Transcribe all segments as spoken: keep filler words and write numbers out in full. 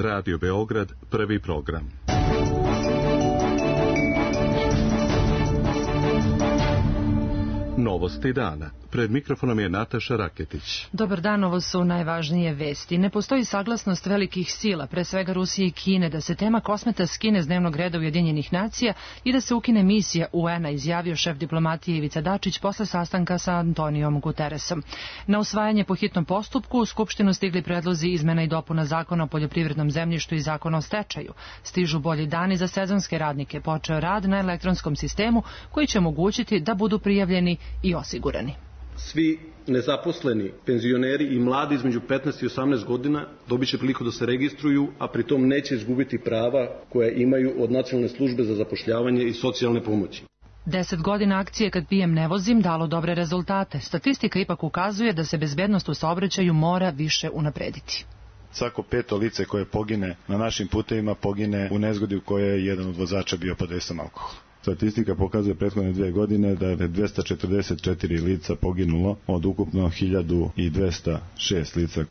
Radio Beograd, prvi program. Novosti dana. Pred mikrofonom je Nataša Raketić. Dobar dan, ovo su najvažnije vesti. Ne postoji saglasnost velikih sila, pre svega Rusije i Kine, da se tema kosmeta skine s dnevnog reda Ujedinjenih nacija i da se ukine misija U N-a, izjavio šef diplomatije Ivica Dačić posle sastanka sa Antonijom Guteresom. Na usvajanje po hitnom postupku u Skupštinu stigli predlozi izmena i dopuna zakona o poljoprivrednom zemljištu i zakona o stečaju. Stižu bolji dani za sezonske radnike. Počeo rad na elektronskom sistemu koji će omogućiti da budu prijavljeni i osigurani. Svi nezaposleni, penzioneri i mladi između petnaest i osamnaest godina dobit će priliku da se registruju, a pritom neće izgubiti prava koje imaju od Nacionalne službe za zapošljavanje i socijalne pomoći. Deset godina akcije Kad pijem ne vozim dalo dobre rezultate. Statistika ipak ukazuje da se bezbednost u saobraćaju mora više unaprediti. Svako peto lice koje pogine na našim putevima pogine u nezgodi u kojoj je jedan od vozača bio pod dejstvom alkohola. Statistika pokazuje prethodne dvije godine da je dvesta četrdeset četiri lica poginulo od ukupno hiljadu dvesta šest lica.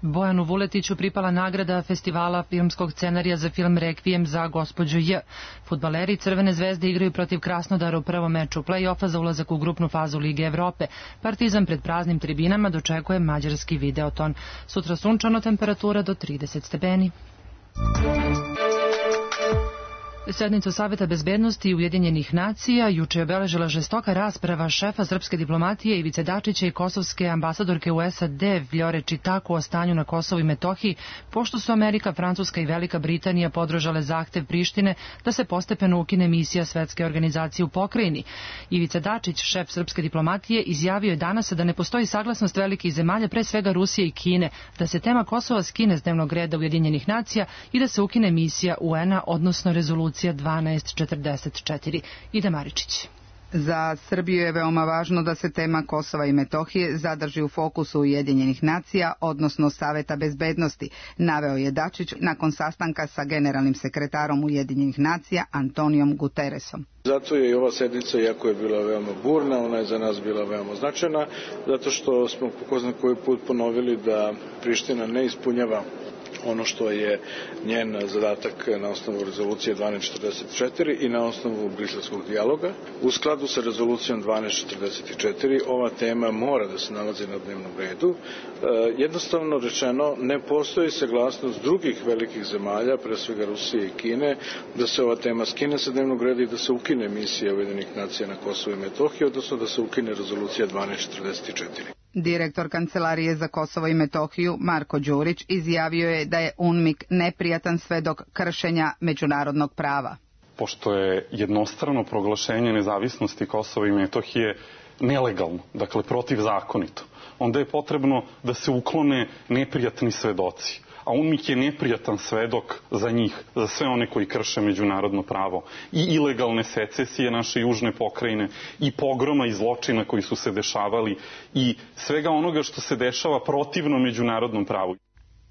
Bojanu Vuletiću pripala nagrada festivala filmskog scenarija za film Rekvijem za gospođu J. Fudbaleri Crvene zvezde igraju protiv Krasnodara u prvom meču play-offa za ulazak u grupnu fazu Lige Evrope. Partizan pred praznim tribinama dočekuje mađarski Videoton. Sutra sunčano, temperatura do trideset stepeni. Sednicu Saveta bezbednosti Ujedinjenih nacija juče je obeležila žestoka rasprava šefa srpske diplomatije Ivice Dačića i kosovske ambasadorke u S A D Vljore Čitaku o stanju na Kosovu i Metohiji, pošto su Amerika, Francuska i Velika Britanija podržale zahtev Prištine da se postepeno ukine misija Svetske organizacije u pokrajini. Ivica Dačić, šef srpske diplomatije, izjavio je danas da ne postoji saglasnost velikih zemalja, pre svega Rusije i Kine, da se tema Kosova skine s dnevnog reda Ujedinjenih nacija i da se ukine misija U N-a, odnosno rezolucija dvanaest četrdeset četiri. Ida Maričić. Za Srbiju je veoma važno da se tema Kosova i Metohije zadrži u fokusu Ujedinjenih nacija, odnosno Saveta bezbednosti, naveo je Dačić nakon sastanka sa generalnim sekretarom Ujedinjenih nacija Antonijom Guteresom. Zato je i ova sednica, iako je bila veoma burna, ona je za nas bila veoma značajna, zato što smo po zna koji put ponovili da Priština ne ispunjava ono što je njen zadatak na osnovu rezolucije dvanaest četrdeset četiri i na osnovu briselskog dijaloga. U skladu sa rezolucijom dvanaest četrdeset četiri ova tema mora da se nalazi na dnevnom redu. E, jednostavno rečeno, ne postoji saglasnost drugih velikih zemalja, pre svega Rusije i Kine, da se ova tema skine sa dnevnog reda i da se ukine misija Ujedinjenih nacija na Kosovu i Metohiji, odnosno da se ukine rezolucija dvanaest četrdeset četiri. Direktor Kancelarije za Kosovo i Metohiju Marko Đurić izjavio je da je UNMIK neprijatan svedok kršenja međunarodnog prava. Pošto je jednostrano proglašenje nezavisnosti Kosova i Metohije nelegalno, dakle protivzakonito, onda je potrebno da se uklone neprijatni svedoci. A UNMIK je neprijatan svedok za njih, za sve one koji krše međunarodno pravo. I ilegalne secesije naše južne pokrajine, i pogroma i zločina koji su se dešavali, i svega onoga što se dešava protivno međunarodnom pravu.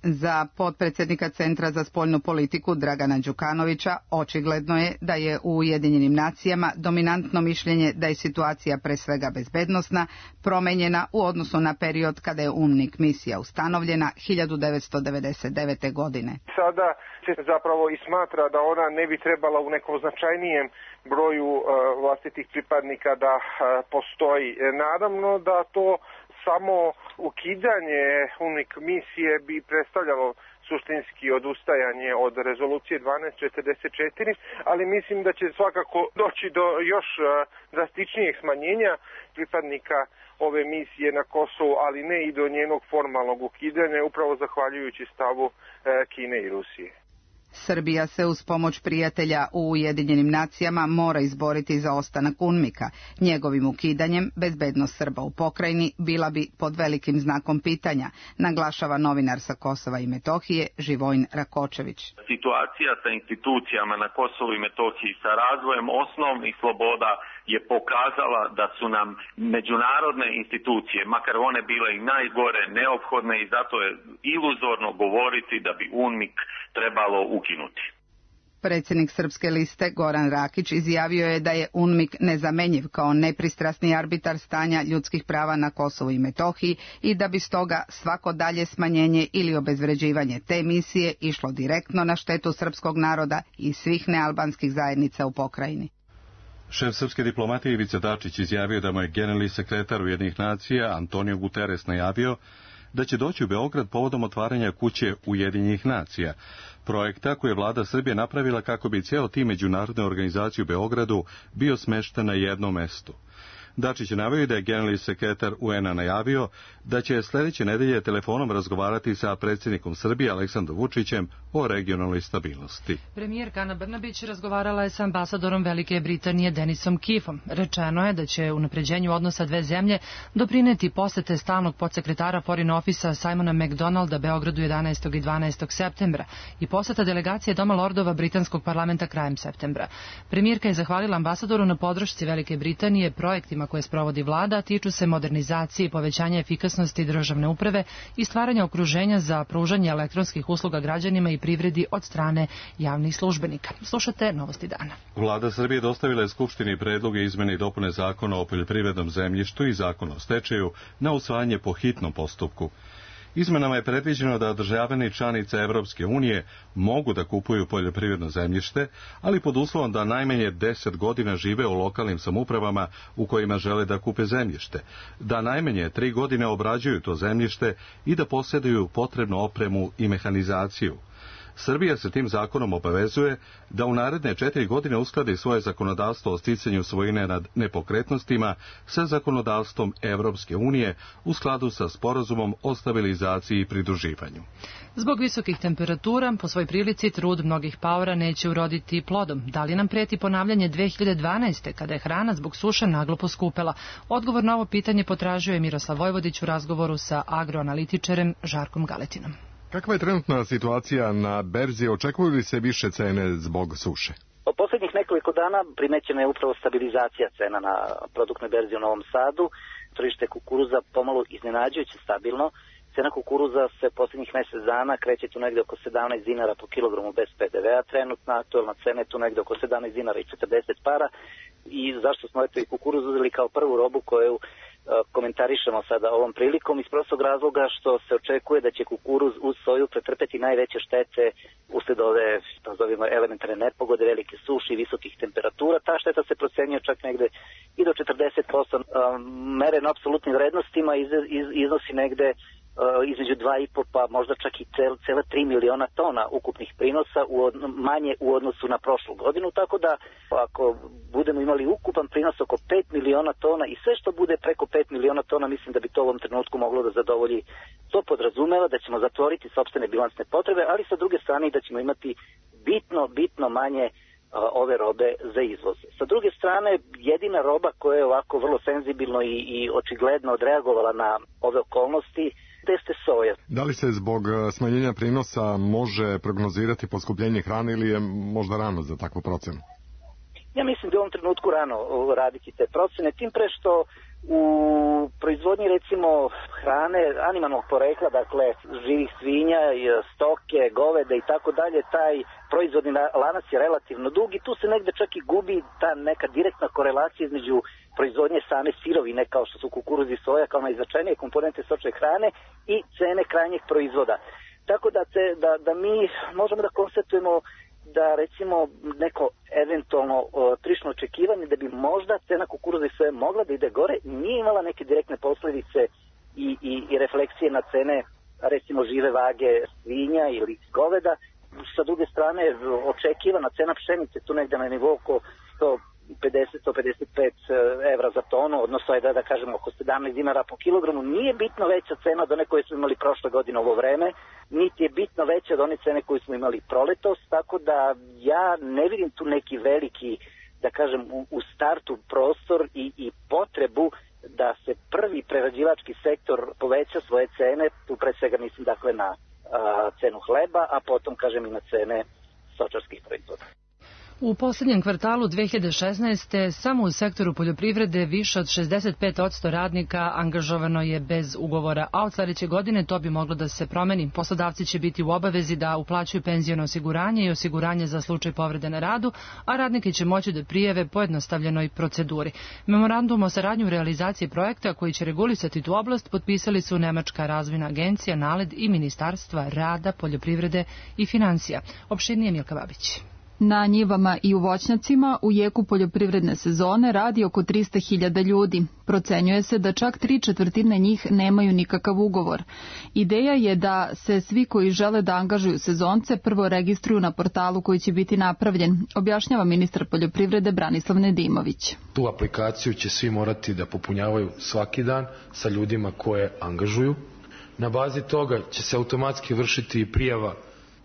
Za potpredsjednika Centra za spoljnu politiku Dragana Đukanovića očigledno je da je u Ujedinjenim nacijama dominantno mišljenje da je situacija pre svega bezbednosna promenjena u odnosu na period kada je UNMIK misija ustanovljena hiljadu devetsto devedeset devete. godine. Sada se zapravo i smatra da ona ne bi trebala u nekom značajnijem broju uh, vlastitih pripadnika da uh, postoji. Naravno da to samo ukidanje UNMIK misije bi predstavljalo suštinski odustajanje od rezolucije dvanaest četrdeset četiri, ali mislim da će svakako doći do još drastičnijeg smanjenja pripadnika ove misije na Kosovu, ali ne i do njenog formalnog ukidanja, upravo zahvaljujući stavu Kine i Rusije. Srbija se uz pomoć prijatelja u Ujedinjenim nacijama mora izboriti za ostanak UNMIK-a. Njegovim ukidanjem bezbednost Srba u pokrajini bila bi pod velikim znakom pitanja, naglašava novinar sa Kosova i Metohije Živojin Rakočević. Situacija sa institucijama na Kosovu i Metohiji sa razvojem osnovnih sloboda je pokazala da su nam međunarodne institucije, makar one bile i najgore, neophodne, i zato je iluzorno govoriti da bi UNMIK trebalo ukinuti. Predsjednik Srpske liste Goran Rakić izjavio je da je UNMIK nezamenjiv kao nepristrasni arbitar stanja ljudskih prava na Kosovu i Metohiji i da bi stoga svako dalje smanjenje ili obezvređivanje te misije išlo direktno na štetu srpskog naroda i svih nealbanskih zajednica u pokrajini. Šef srpske diplomatije Ivica Dačić izjavio da mu je generalni sekretar Ujedinjenih nacija Antonio Guterres najavio da će doći u Beograd povodom otvaranja kuće Ujedinjenih nacija, projekta koje je vlada Srbije napravila kako bi cijelo tim međunarodne organizacije u Beogradu bio smešten na jednom mestu. Dačić je naveo da je generalni sekretar U N A najavio da će sljedeće nedelje telefonom razgovarati sa predsjednikom Srbije Aleksandrom Vučićem o regionalnoj stabilnosti. Premijerka Ana Brnabić razgovarala je sa ambasadorom Velike Britanije Denisom Keefom. Rečeno je da će unapređenju odnosa dve zemlje doprineti posete stalnog podsekretara Foreign Office-a Simona McDonalda Beogradu jedanaestog i dvanaestog septembra i poseta delegacije Doma lordova britanskog parlamenta krajem septembra. Premijerka je zahvalila ambasadoru na podršci Velike Britanije projektima koje sprovodi vlada, tiču se modernizacije i povećanja efikasnosti državne uprave i stvaranja okruženja za pružanje elektronskih usluga građanima i privredi od strane javnih službenika. Slušate Novosti dana. Vlada Srbije dostavila je Skupštini predloge izmene i dopune zakona o poljoprivrednom zemljištu i zakona o stečaju na usvajanje po hitnom postupku. Izmenama je predviđeno da državljani članice Evropske unije mogu da kupuju poljoprivredno zemljište, ali pod uslovom da najmanje deset godina žive u lokalnim samoupravama u kojima žele da kupe zemljište, da najmanje tri godine obrađuju to zemljište i da posjeduju potrebnu opremu i mehanizaciju. Srbija se tim zakonom obavezuje da u naredne četiri godine uskladi svoje zakonodavstvo o sticanju svojine nad nepokretnostima sa zakonodavstvom Evropske unije u skladu sa sporazumom o stabilizaciji i pridruživanju. Zbog visokih temperatura, po svoj prilici, trud mnogih paora neće uroditi plodom. Da li nam preti ponavljanje dve hiljade dvanaeste. kada je hrana zbog suše naglo poskupela? Odgovor na ovo pitanje potražio je Miroslav Vojvodić u razgovoru sa agroanalitičarem Žarkom Galetinom. Kakva je trenutna situacija na berzi? Očekuju li se više cene zbog suše? U posljednjih nekoliko dana primećena je upravo stabilizacija cena na produktnoj berzi u Novom Sadu. Tržište kukuruza pomalo iznenađujuće stabilno. Cena kukuruza se posljednjih mjesec dana kreće tu negdje oko sedamnaest dinara po kilogramu bez P D V-a. Trenutna aktualna cena je tu negdje oko sedamnaest dinara i četrdeset para. I zašto smo eto i kukuruz uzeli kao prvu robu koju komentarišemo sada ovom prilikom iz prostog razloga što se očekuje da će kukuruz uz soju pretrpeti najveće štete uslijed ove nazovimo elementarne nepogode, velike suše i visokih temperatura. Ta šteta se procenjuje čak negde i do četrdeset posto. Mereno apsolutnim vrednostima iz, iz, iznosi negde između dva i po pa možda čak i cel, cela tri miliona tona ukupnih prinosa u od, manje u odnosu na prošlu godinu, tako da ako budemo imali ukupan prinos oko pet miliona tona i sve što bude preko pet miliona tona, mislim da bi to u ovom trenutku moglo da zadovolji. To podrazumeva da ćemo zatvoriti sopstvene bilansne potrebe, ali sa druge strane da ćemo imati bitno, bitno manje a, ove robe za izvoz. Sa druge strane, jedina roba koja je ovako vrlo senzibilno i, i očigledno odreagovala na ove okolnosti jeste soja. Da li se zbog smanjenja prinosa može prognozirati poskupljenje hrane ili je možda rano za takvu procenu? Ja mislim da je u ovom trenutku rano raditi te procene, tim pre što u proizvodnji recimo hrane animalnog porekla, dakle živih svinja, stoke, goveda i tako dalje, taj proizvodni lanac je relativno dug i tu se negde čak i gubi ta neka direktna korelacija između proizvodnje same sirovine kao što su kukuruz i soja kao najznačajnije komponente stočne hrane i cene krajnjeg proizvoda. Tako da, te, da, da mi možemo da konstatujemo da recimo neko eventualno o, trišno očekivanje da bi možda cena kukuruza i soje mogla da ide gore, nije imala neke direktne posljedice i, i, i refleksije na cene recimo žive vage svinja ili goveda. Sa druge strane očekivana cena pšenice tu negde na nivou oko sto pedeset do sto pedeset pet evra za tonu, odnosno je da, da kažemo oko sedamnaest dinara po kilogramu, nije bitno veća cena od one koje smo imali prošle godine ovo vreme, niti je bitno veća od one cene koje smo imali proletos, tako da ja ne vidim tu neki veliki, da kažem, u, u startu prostor i, i potrebu da se prvi prerađivački sektor poveća svoje cene, tu pre svega mislim dakle na a, cenu hleba, a potom kažem i na cene stočarskih proizvoda. U posljednjem kvartalu dve hiljade šesnaeste. samo u sektoru poljoprivrede više od šezdeset pet posto radnika angažovano je bez ugovora, a od sledeće godine to bi moglo da se promeni. Poslodavci će biti u obavezi da uplaćuju penziono osiguranje i osiguranje za slučaj povrede na radu, a radnike će moći da prijave pojednostavljenoj proceduri. Memorandum o saradnji u realizaciji projekta koji će regulisati tu oblast potpisali su Nemačka razvojna agencija, NALED i Ministarstva rada, poljoprivrede i financija. Opširnije Milka Babić. Na njivama i u voćnjacima u jeku poljoprivredne sezone radi oko trista hiljada ljudi. Procenjuje se da čak tri četvrtine njih nemaju nikakav ugovor. Ideja je da se svi koji žele da angažuju sezonce prvo registruju na portalu koji će biti napravljen, objašnjava ministar poljoprivrede Branislav Nedimović. Tu aplikaciju će svi morati da popunjavaju svaki dan sa ljudima koje angažuju. Na bazi toga će se automatski vršiti i prijava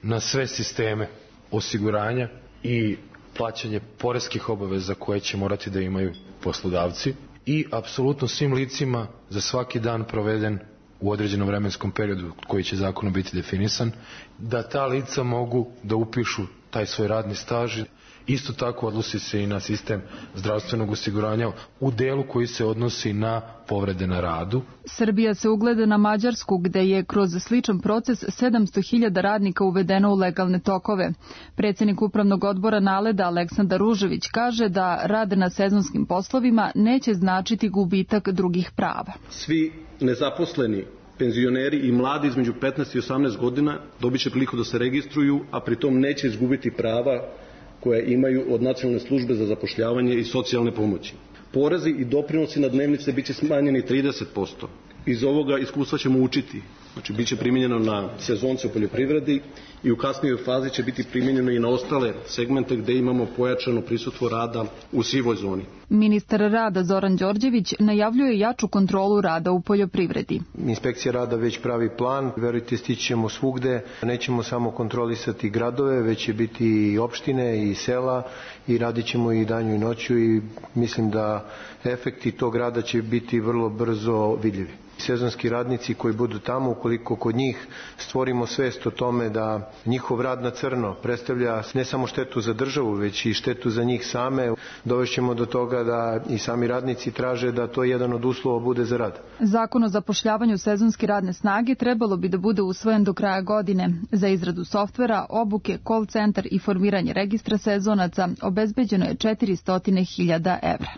na sve sisteme osiguranja i plaćanje poreskih obaveza koje će morati da imaju poslodavci i apsolutno svim licima za svaki dan proveden u određenom vremenskom periodu koji će zakonom biti definisan, da ta lica mogu da upišu taj svoj radni staž. Isto tako odnosi se i na sistem zdravstvenog osiguranja u delu koji se odnosi na povrede na radu. Srbija se ugleda na Mađarsku gde je kroz sličan proces sedamsto hiljada radnika uvedeno u legalne tokove. Predsjednik upravnog odbora NALED-a Aleksandar Ružević kaže da rad na sezonskim poslovima neće značiti gubitak drugih prava. Svi nezaposleni penzioneri i mladi između petnaest i osamnaest godina dobit će priliku da se registruju, a pritom neće izgubiti prava koje imaju od Nacionalne službe za zapošljavanje i socijalne pomoći. Porezi i doprinosi na dnevnice biće smanjeni trideset posto. Iz ovoga iskustva ćemo učiti. Znači, bit će primijenjeno na sezonce u poljoprivredi i u kasnijoj fazi će biti primijenjeno i na ostale segmente gde imamo pojačano prisustvo rada u sivoj zoni. Ministar rada Zoran Đorđević najavljuje jaču kontrolu rada u poljoprivredi. Inspekcija rada već pravi plan, verujte, stići ćemo svugde, nećemo samo kontrolisati gradove, već će biti i opštine i sela i radit ćemo i danju i noću i mislim da efekti tog rada će biti vrlo brzo vidljivi. Sezonski radnici koji budu tamo, ukoliko kod njih stvorimo svest o tome da njihov rad na crno predstavlja ne samo štetu za državu, već i štetu za njih same, dovešćemo do toga da i sami radnici traže da to jedan od uslova bude za rad. Zakon o zapošljavanju sezonske radne snage trebalo bi da bude usvojen do kraja godine. Za izradu softvera, obuke, call centar i formiranje registra sezonaca obezbeđeno je četiristo hiljada evra.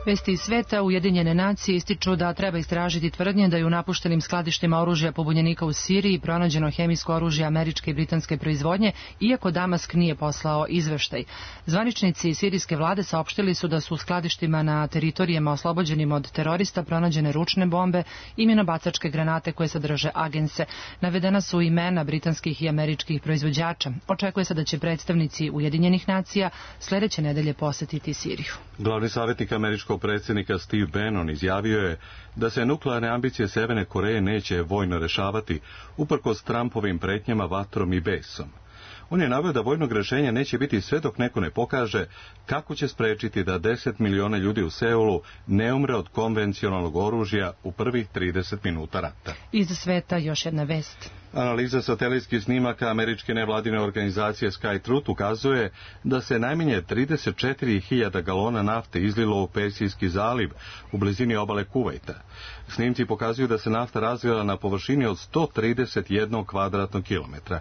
Vesti iz sveta, Ujedinjene nacije ističu da treba istražiti tvrdnje da je u napuštenim skladištima oružja pobunjenika u Siriji pronađeno hemijsko oružje američke i britanske proizvodnje, iako Damask nije poslao izveštaj. Zvaničnici sirijske vlade saopštili su da su u skladištima na teritorijama oslobođenim od terorista pronađene ručne bombe i minobacačke granate koje sadrže agense. Navedena su imena britanskih i američkih proizvođača. Očekuje se da će predstavnici Ujedinjenih nacija sledeće nedelje posetiti Siriju. Glavni savjetnik američkog predsjednika Steve Bannon izjavio je da se nuklearne ambicije Severne Koreje neće vojno rešavati, uprkos Trumpovim pretnjama vatrom i besom. On je naveo da vojnog rešenja neće biti sve dok neko ne pokaže kako će sprečiti da deset miliona ljudi u Seulu ne umre od konvencionalnog oružja u prvih trideset minuta rata. Iz sveta još jedna vest. Analiza satelitskih snimaka američke nevladine organizacije Sky Truth ukazuje da se najmanje trideset četiri hiljade galona nafte izlilo u Persijski zaliv u blizini obale Kuvajta. Snimci pokazuju da se nafta razvila na površini od sto trideset jedan kvadratnog kilometra.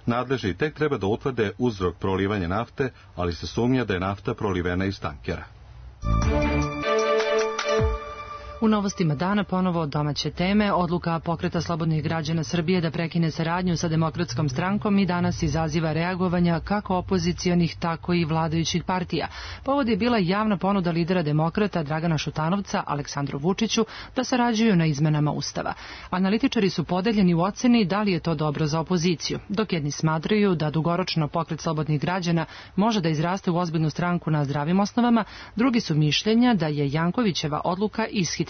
Nadležni tek treba da utvrde uzrok prolivanja nafte, ali se sumnja da je nafta prolivena iz tankera. U novostima dana ponovo domaće teme, odluka Pokreta slobodnih građana Srbije da prekine saradnju sa Demokratskom strankom i danas izaziva reagovanja kako opozicionih, tako i vladajućih partija. Povod je bila javna ponuda lidera Demokrata Dragana Šutanovca Aleksandru Vučiću da sarađuju na izmenama Ustava. Analitičari su podeljeni u oceni da li je to dobro za opoziciju, dok jedni smatraju da dugoročno Pokret slobodnih građana može da izraste u ozbiljnu stranku na zdravim osnovama, drugi su mišljenja da je Jankovićeva odluka ishitrena.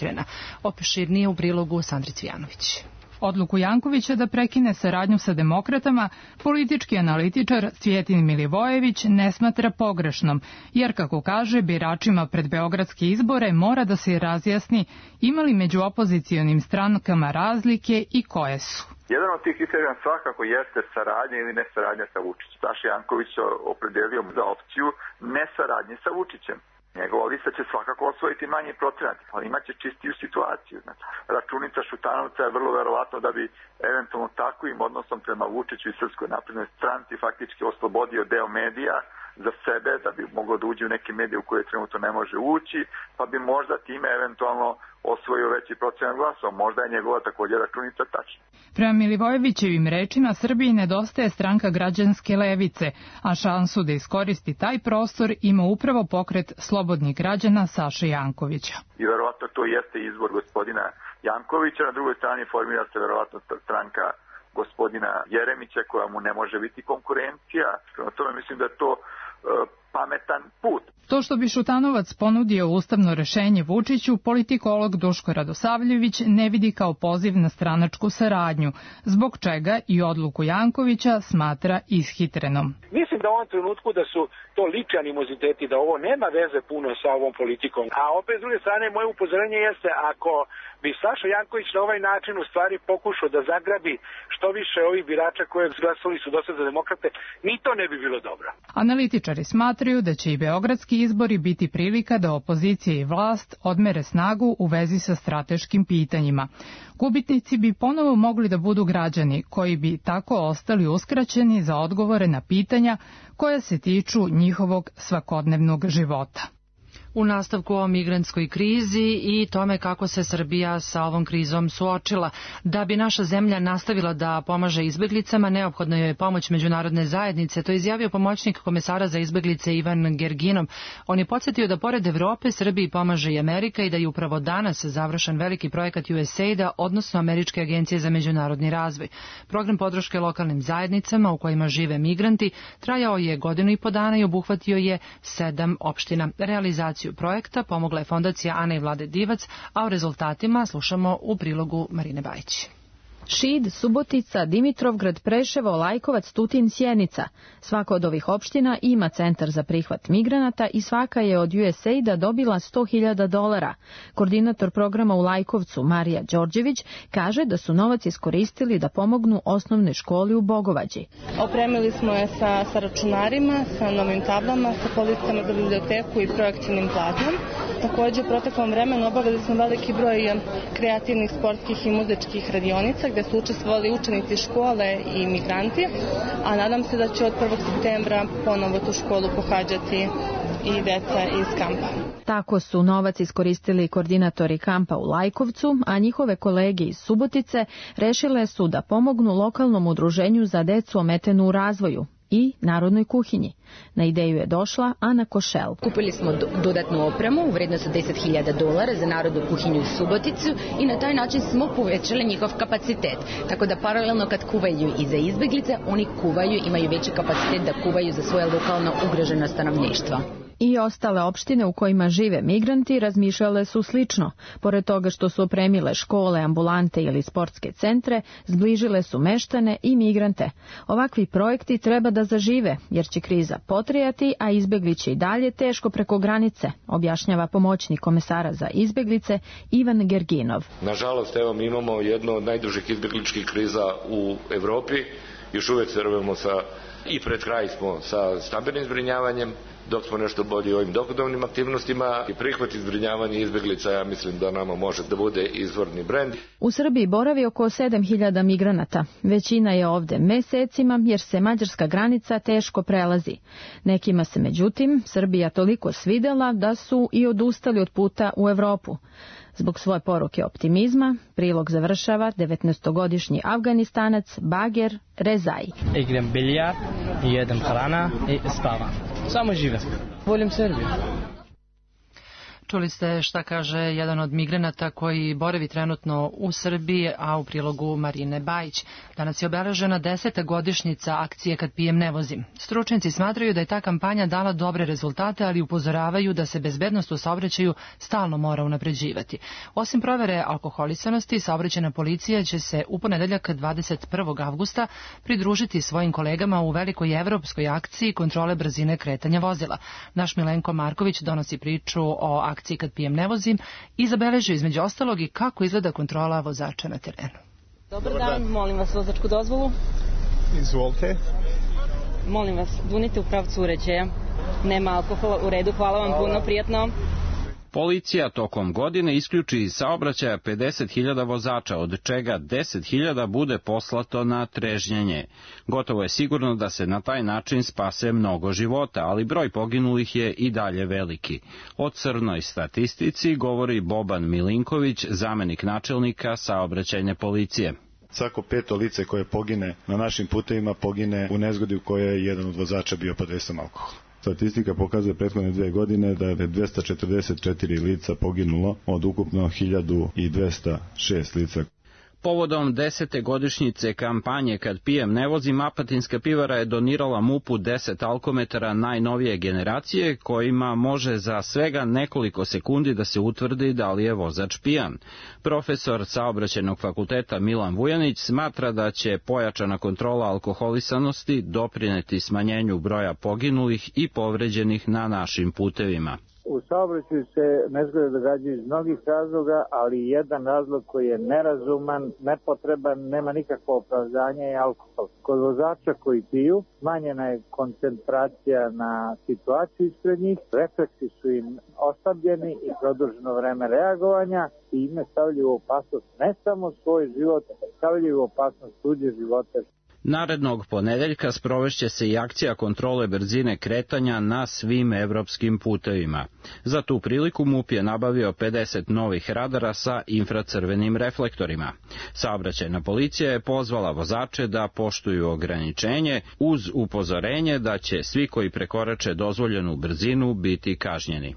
Opširnije u prilogu Sandri Cvijanović. Odluku Jankovića da prekine saradnju sa demokratama, politički analitičar Cvjetin Milivojević ne smatra pogrešnom, jer, kako kaže, biračima pred beogradske izbore mora da se razjasni ima li među opozicionim strankama razlike i koje su. Jedan od tih kriterija svakako jeste saradnja ili nesaradnja sa Vučićem. Saša Janković se opredelio za opciju nesaradnje sa Vučićem. Njegova lista će svakako osvojiti manji procenat, ali imaće čistiju situaciju. Znači, računica Šutanovca je vrlo verovatno da bi eventualno takvim odnosom prema Vučiću i Srpskoj naprednoj stranci faktički oslobodio deo medija za sebe, da bi moglo da uđe u neke medije u koje trenutno ne može ući, pa bi možda time eventualno osvojio veći procenat glasova. Možda je njegova također računica tačna. Prema Milivojevićevim rečima, Srbiji nedostaje stranka građanske levice, a šansu da iskoristi taj prostor ima upravo pokret slobodnih građana Saše Jankovića. I verovatno to jeste izbor gospodina Jankovića, na drugoj strani formira se verovatno stranka gospodina Jeremića koja mu ne može biti konkurencija. Prema tome mislim da je to e, pametan put. To što bi Šutanovac ponudio ustavno rešenje Vučiću, politikolog Duško Radosavljević ne vidi kao poziv na stranačku saradnju, zbog čega i odluku Jankovića smatra ishitrenom. Mislim da u ovom trenutku da su to lični animoziteti, da ovo nema veze puno sa ovom politikom. A opet s druge strane, moje upozorenje jeste ako bi Saša Janković na ovaj način u stvari pokušao da zagrabi što više ovih birača koje glasali su dosta za demokrate, ni to ne bi bilo dobro. Analitičari smatraju da će i beogradski izbori biti prilika da opozicija i vlast odmere snagu u vezi sa strateškim pitanjima. Gubitnici bi ponovo mogli da budu građani koji bi tako ostali uskraćeni za odgovore na pitanja koja se tiču njihovog svakodnevnog života. U nastavku o migrantskoj krizi i tome kako se Srbija sa ovom krizom suočila. Da bi naša zemlja nastavila da pomaže izbeglicama, neophodna je pomoć međunarodne zajednice. To je izjavio pomoćnik komesara za izbeglice Ivan Gerginov. On je podsjetio da pored Evrope Srbiji pomaže i Amerika i da je upravo danas završen veliki projekat U S A I D-a, odnosno Američke agencije za međunarodni razvoj. Program podrške lokalnim zajednicama u kojima žive migranti trajao je godinu i po dana i obuhvatio je sedam opština. Realizaciju projekta pomogla je fondacija Ane i Vlade Divac, a o rezultatima slušamo u prilogu Marine Bajić. Šid, Subotica, Dimitrovgrad, Preševo, Lajkovac, Tutin, Sjenica. Svaka od ovih opština ima centar za prihvat migranata i svaka je od U S A I D-a dobila sto hiljada dolara. Koordinator programa u Lajkovcu, Marija Đorđević, kaže da su novac iskoristili da pomognu osnovnoj školi u Bogovađi. Opremili smo je sa, sa računarima, sa novim tablama, sa policama za biblioteku i projekcijnim plazmom. Također, u proteklom vremenu obavili smo veliki broj kreativnih sportskih i muzičkih radionica gde su učestvovali učenici škole i migranti, a nadam se da će od prvog septembra ponovo tu školu pohađati i deca iz kampa. Tako su novac iskoristili koordinatori kampa u Lajkovcu, a njihove kolege iz Subotice rešile su da pomognu lokalnom udruženju za decu ometenu u razvoju i narodnoj kuhinji. Na ideju je došla Ana Košel. Kupili smo dodatnu opremu u vrednosti od deset hiljada dolara za narodnu kuhinju u Suboticu i na taj način smo povećali njihov kapacitet. Tako da paralelno kad kuvaju i za izbeglice, oni kuvaju, imaju veći kapacitet da kuvaju za svoje lokalno ugroženo stanovništvo. I ostale opštine u kojima žive migranti razmišljale su slično. Pored toga što su opremile škole, ambulante ili sportske centre, zbližile su meštane i migrante. Ovakvi projekti treba da zažive, jer će kriza potrijati, a izbegli će i dalje teško preko granice, objašnjava pomoćnik komesara za izbeglice Ivan Gerginov. Nažalost, evo mi imamo jednu od najdužih izbegličkih kriza u Evropi. Još uvijek se rovimo sa, i pred kraj smo sa stambenim zbrinjavanjem, dok smo nešto bolji ovim dohodovnim aktivnostima i prihvat i zbrinjavanje izbeglica, ja mislim da nama može da bude izvorni brend. U Srbiji boravi oko sedam hiljada migranata. Većina je ovde mesecima jer se mađarska granica teško prelazi. Nekima se međutim Srbija toliko svidela da su i odustali od puta u Evropu. Zbog svoje poruke optimizma, prilog završava devetnaestogodišnji Afganistanac Bager Rezai. Igram biljar, jedem hrana i spavam. Samo živim. Volim Srbiju. Čuli ste šta kaže jedan od migranata koji boravi trenutno u Srbiji, a u prilogu Marine Bajić. Danas je obeležena deseta godišnjica akcije Kad pijem ne vozim. Stručnjaci smatraju da je ta kampanja dala dobre rezultate, ali upozoravaju da se bezbednost u saobraćaju stalno mora unapređivati. Osim provere alkoholisanosti, saobraćajna policija će se u ponedeljak dvadeset prvog avgusta pridružiti svojim kolegama u velikoj evropskoj akciji kontrole brzine kretanja vozila. Naš Milenko Marković donosi priču o akciji Kad pijem ne vozim i zabeležio između ostalog i kako izgleda kontrola vozača na terenu. Dobar dan, molim vas vozačku dozvolu. Izvolite. Molim vas, dunite u pravcu uređaja. Nema alkohola, u redu, hvala vam puno, prijatno. Policija tokom godine isključi iz saobraćaja pedeset hiljada vozača, od čega deset hiljada bude poslato na trežnjenje. Gotovo je sigurno da se na taj način spase mnogo života, ali broj poginulih je i dalje veliki. O crnoj statistici govori Boban Milinković, zamenik načelnika saobraćajne policije. Svako peto lice koje pogine na našim putevima pogine u nezgodi u kojoj je jedan od vozača bio pod dejstvom alkohola. Statistika pokazuje prethodne dvije godine da je dvesta četrdeset četiri lica poginulo od ukupno hiljadu dvesta šest lica. Povodom desete godišnjice kampanje Kad pijem ne vozim, Apatinska pivara je donirala mupu deset alkometara najnovije generacije kojima može za svega nekoliko sekundi da se utvrdi da li je vozač pijan. Profesor Saobraćajnog fakulteta Milan Vujanić smatra da će pojačana kontrola alkoholisanosti doprineti smanjenju broja poginulih i povređenih na našim putevima. U saobraćaju se nezgode događaju iz mnogih razloga, ali jedan razlog koji je nerazuman, nepotreban, nema nikakvo opravdanje je alkohol. Kod vozača koji piju smanjena je koncentracija na situaciju ispred njih, refleksi su im oslabljeni i produženo vreme reagovanja i ime stavljaju u opasnost ne samo svoj život, stavljaju u opasnost tuđe živote. Narednog ponedeljka sprovešće se i akcija kontrole brzine kretanja na svim evropskim putevima. Za tu priliku MUP je nabavio pedeset novih radara sa infracrvenim reflektorima. Saobraćajna policija je pozvala vozače da poštuju ograničenje uz upozorenje da će svi koji prekorače dozvoljenu brzinu biti kažnjeni.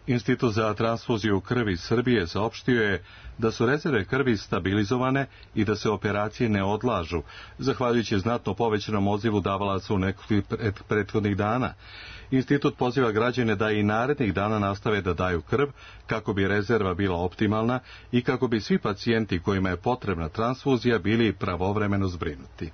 Institut za transfuziju krvi Srbije saopštio je da su rezerve krvi stabilizovane i da se operacije ne odlažu, zahvaljujući znatno povećanom odzivu davalaca u nekoliko prethodnih dana. Institut poziva građane da i narednih dana nastave da daju krv kako bi rezerva bila optimalna i kako bi svi pacijenti kojima je potrebna transfuzija bili pravovremeno zbrinuti.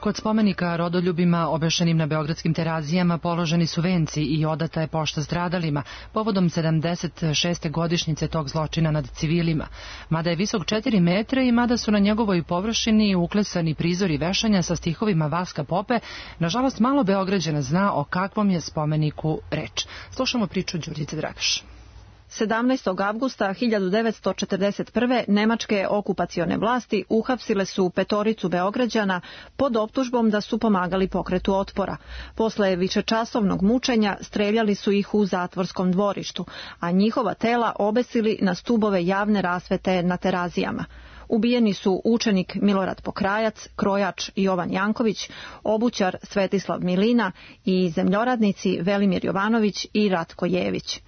Kod spomenika rodoljubima obešenim na beogradskim Terazijama položeni su venci i odata je pošta stradalima povodom sedamdeset šeste godišnjice tog zločina nad civilima. Mada je visok četiri metra i mada su na njegovoj površini uklesani prizori vešanja sa stihovima Vaska Pope, nažalost malo Beograđana zna o kakvom je spomeniku reč. Slušamo priču Đurđice Dragaš. sedamnaestog avgusta hiljadu devetsto četrdeset prve. nemačke okupacione vlasti uhapsile su petoricu Beograđana pod optužbom da su pomagali pokretu otpora. Posle višečasovnog mučenja streljali su ih u zatvorskom dvorištu, a njihova tela obesili na stubove javne rasvete na Terazijama. Ubijeni su učenik Milorad Pokrajac, krojač Jovan Janković, obućar Svetislav Milina i zemljoradnici Velimir Jovanović i Ratko Jević.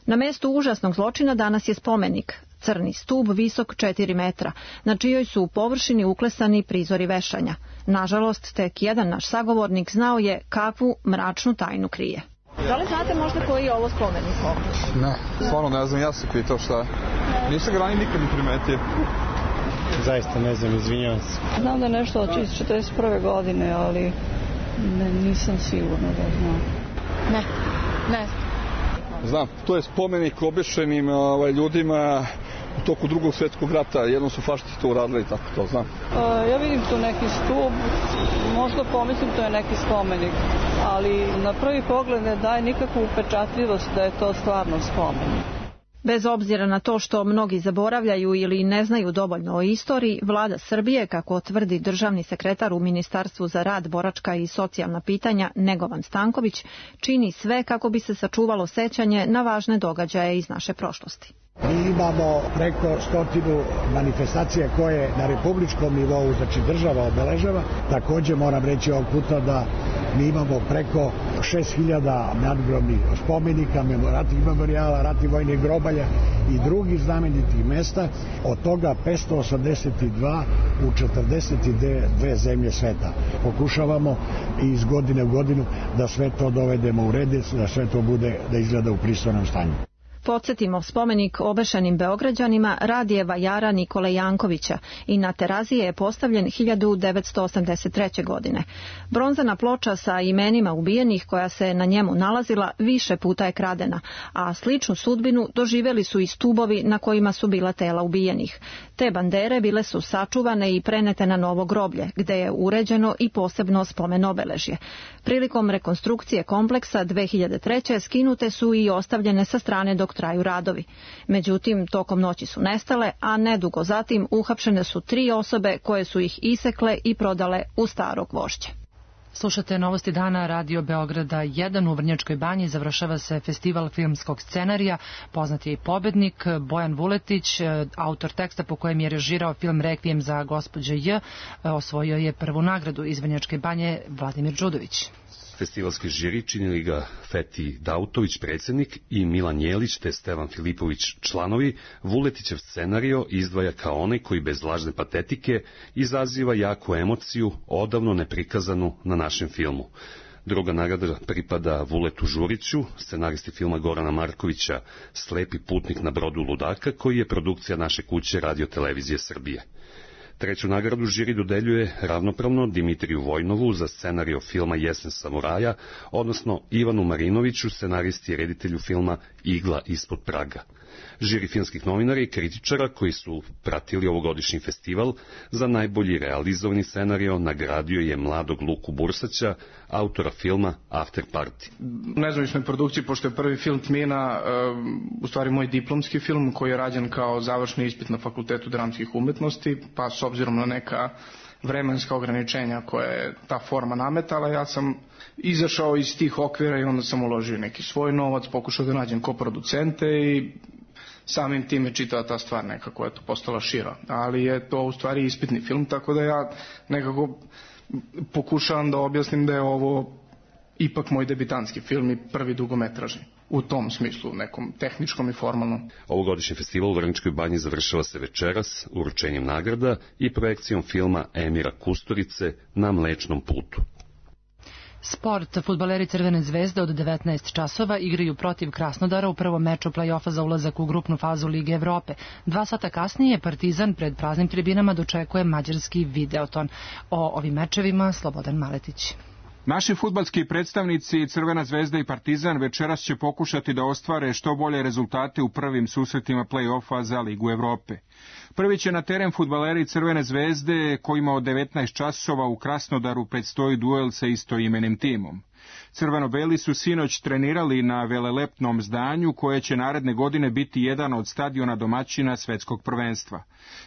Na mestu užasnog zločina danas je spomenik, crni stub visok četiri metra, na čijoj su površini uklesani prizori vešanja. Nažalost, tek jedan naš sagovornik znao je kakvu mračnu tajnu krije. Da li znate možda koji je ovo spomenik ovdje? Ne, stvarno ne znam, ja sam pitao šta. Nisam ga ranije nikad ni primetio. Zaista ne znam, izvinjavam se. Znam da je nešto od četrdeset prve godine, ali ne, nisam sigurno da znam. Ne, ne. Znam, to je spomenik obešenim ovaj, ljudima u toku drugog svjetskog rata. Jednom su fašisti to uradili, tako to znam. A, ja vidim tu neki stup, možda pomislim to je neki spomenik, ali na prvi pogled ne daje nikakvu upečatljivost da je to stvarno spomenik. Bez obzira na to što mnogi zaboravljaju ili ne znaju dovoljno o istoriji, vlada Srbije, kako tvrdi državni sekretar u Ministarstvu za rad, boračka i socijalna pitanja Negovan Stanković, čini sve kako bi se sačuvalo sećanje na važne događaje iz naše prošlosti. Mi imamo preko stotinu manifestacija koje na republičkom nivou, znači država obeležava. Također moram reći ovog puta da mi imamo preko šest hiljada nadgrobnih spomenika, ratnih memorijala, ratnih vojnih grobalja i drugih znamenitih mesta, od toga petsto osamdeset dva u četrdeset dve zemlje sveta. Pokušavamo iz godine u godinu da sve to dovedemo u red, da sve to bude, da izgleda u pristojnom stanju. Podsjetimo, spomenik obešenim Beograđanima Radijeva Jara Nikole Jankovića i na Terazije je postavljen hiljadu devetsto osamdeset treće. godine. Bronzana ploča sa imenima ubijenih koja se na njemu nalazila više puta je kradena, a sličnu sudbinu doživjeli su i stubovi na kojima su bila tela ubijenih. Te bandere bile su sačuvane i prenete na novo groblje, gde je uređeno i posebno spomen obeležje. Prilikom rekonstrukcije kompleksa dve hiljade treće. skinute su i ostavljene sa strane dok traju radovi. Međutim, tokom noći su nestale, a nedugo zatim uhapšene su tri osobe koje su ih isekle i prodale u Staro Gvožđe. Slušate Novosti dana Radio Beograda jedan. U Vrnjačkoj banji završava se festival filmskog scenarija. Poznat je i pobednik Bojan Vuletić, autor teksta po kojem je režirao film Rekvijem za gospođe J. Osvojio je prvu nagradu. Iz Vrnjačke banje Vladimir Đudović. Festivalski žiri činili ga Feti Dautović, predsjednik, i Milan Jelić te Stevan Filipović, članovi. Vuletićev scenario izdvaja kao onaj koji bez lažne patetike izaziva jaku emociju, odavno neprikazanu na našem filmu. Druga nagrada pripada Vuletu Žuriću, scenaristi filma Gorana Markovića Slepi putnik na brodu ludaka, koji je produkcija naše kuće Radio Televizije Srbije. Treću nagradu žiri dodeljuje ravnopravno Dimitriju Vojnovu za scenario filma Jesen samuraja, odnosno Ivanu Marinoviću, scenaristi i reditelju filma Igla ispod praga. Žiri filmskih novinara i kritičara koji su pratili ovogodišnji festival za najbolji realizovani scenario nagradio je mladog Luku Bursaća, autora filma After Party. Nezavisnoj produkciji, pošto je prvi film Tmina, u stvari moj diplomski film koji je rađen kao završni ispit na Fakultetu dramskih umetnosti, pa s obzirom na neka vremenska ograničenja koje je ta forma nametala, ja sam izašao iz tih okvira i onda sam uložio neki svoj novac, pokušao da nađem koproducente i samim tim je čitava ta stvar nekako je to postala šira. Ali je to u stvari ispitni film, tako da ja nekako pokušavam da objasnim da je ovo ipak moj debitanski film i prvi dugometražni. U tom smislu, nekom tehničkom i formalnom. Ovogodišnji festival u Vrnjačkoj banji završava se večeras uručenjem nagrada i projekcijom filma Emira Kusturice Na mlečnom putu. Sport. Fudbaleri Crvene zvezde od devetnaest časova igraju protiv Krasnodara u prvom meču play-offa za ulazak u grupnu fazu Lige Evrope. Dva sata kasnije Partizan pred praznim tribinama dočekuje mađarski Videoton. O ovim mečevima Slobodan Maletić. Naši fudbalski predstavnici Crvena zvezda i Partizan večeras će pokušati da ostvare što bolje rezultate u prvim susretima play-offa za Ligu Evrope. Prvi će na teren fudbaleri Crvene zvezde kojima od devetnaest časova u Krasnodaru predstoji duel sa istoimenim timom. Crveno-beli su sinoć trenirali na velelepnom zdanju koje će naredne godine biti jedan od stadiona domaćina svetskog prvenstva.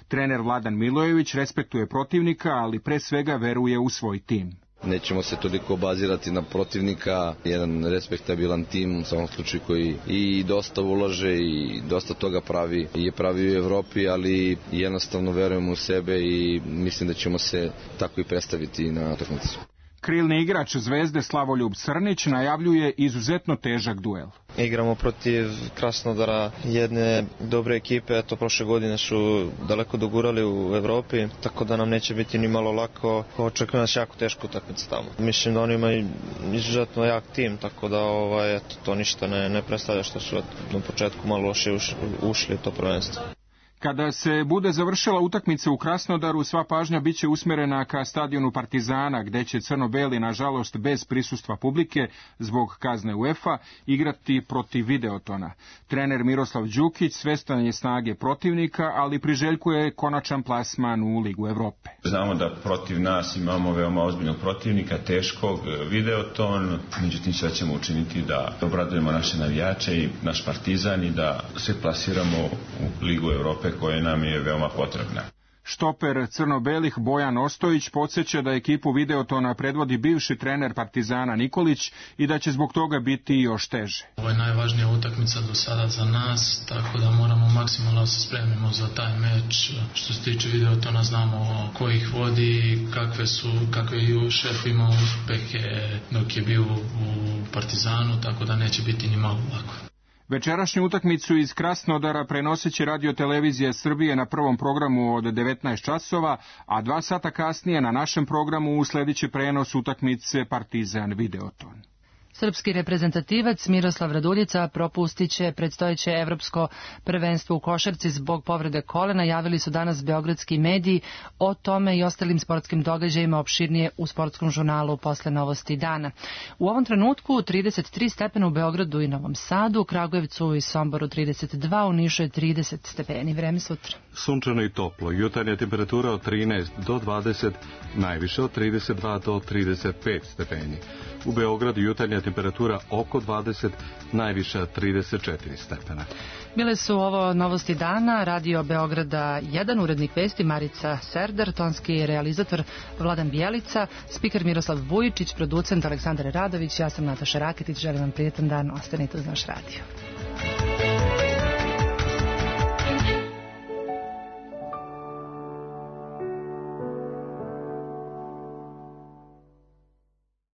Trener Vladan Milojević respektuje protivnika, ali pre svega veruje u svoj tim. Nećemo se toliko bazirati na protivnika, jedan respektabilan tim u svakom slučaju koji i dosta ulaže i dosta toga pravi i je pravi u Evropi, ali jednostavno verujemo u sebe i mislim da ćemo se tako i predstaviti na utakmici. Krilni igrač Zvezde Slavoljub Srnić najavljuje izuzetno težak duel. Igramo protiv Krasnodara, jedne dobre ekipe, eto prošle godine su daleko dogurali u Evropi, tako da nam neće biti ni malo lako, očekujem nas jako teško utakmica tamo. Mislim da oni imaju izuzetno jak tim, tako da ovaj, eto, to ništa ne, ne predstavlja što su na početku malo loše ušli to prvenstvo. Kada se bude završila utakmica u Krasnodaru, sva pažnja biće usmjerena ka stadionu Partizana, gde će crno-beli, nažalost, bez prisustva publike, zbog kazne UEFA, igrati protiv Videotona. Trener Miroslav Đukić svestan je snage protivnika, ali priželjkuje konačan plasman u Ligu Evrope. Znamo da protiv nas imamo veoma ozbiljnog protivnika, teškog, Videoton, međutim sve ćemo učiniti da obradujemo naše navijače i naš Partizan i da se plasiramo u Ligu Evrope koje nam je veoma potrebna. Štoper crno-belih Bojan Ostojić podsjeća da ekipu Videotona predvodi bivši trener Partizana Nikolić i da će zbog toga biti još teže. Ovo je najvažnija utakmica do sada za nas, tako da moramo maksimalno se spremimo za taj meč. Što se tiče Videotona, znamo ko ih vodi, kakve su, kakve je šef imao uspehe dok je bio u Partizanu, tako da neće biti ni malo lako. Večerašnju utakmicu iz Krasnodara prenosit će Radio Televizija Srbije na prvom programu od devetnaest časova, a dva sata kasnije na našem programu usledit će prenos utakmice Partizan Videoton. Srpski reprezentativac Miroslav Raduljica propustit će predstojeće evropsko prvenstvo u košarci zbog povrede kolena, javili su danas beogradski mediji. O tome i ostalim sportskim događajima opširnije u sportskom žurnalu posle novosti dana. U ovom trenutku trideset tri stepena u Beogradu i Novom Sadu, u Kragujevcu i Somboru trideset dva, u Nišu je trideset stepeni. Vreme sutra. Sunčano i toplo, jutarnja temperatura od trinaest do dvadeset, najviše od trideset dva do trideset pet stepeni. U Beogradu jutarnja temperatura oko dvadeset, najviša trideset četiri stepena. Bile su ovo novosti dana, Radio Beograda jedan, urednik vesti Marica Serdar, tonski realizator Vladan Bijelica, spiker Miroslav Vujičić, producent Aleksandar Radović, ja sam Nataša Raketić, želim vam prijetan dan, ostanite uz naš radio.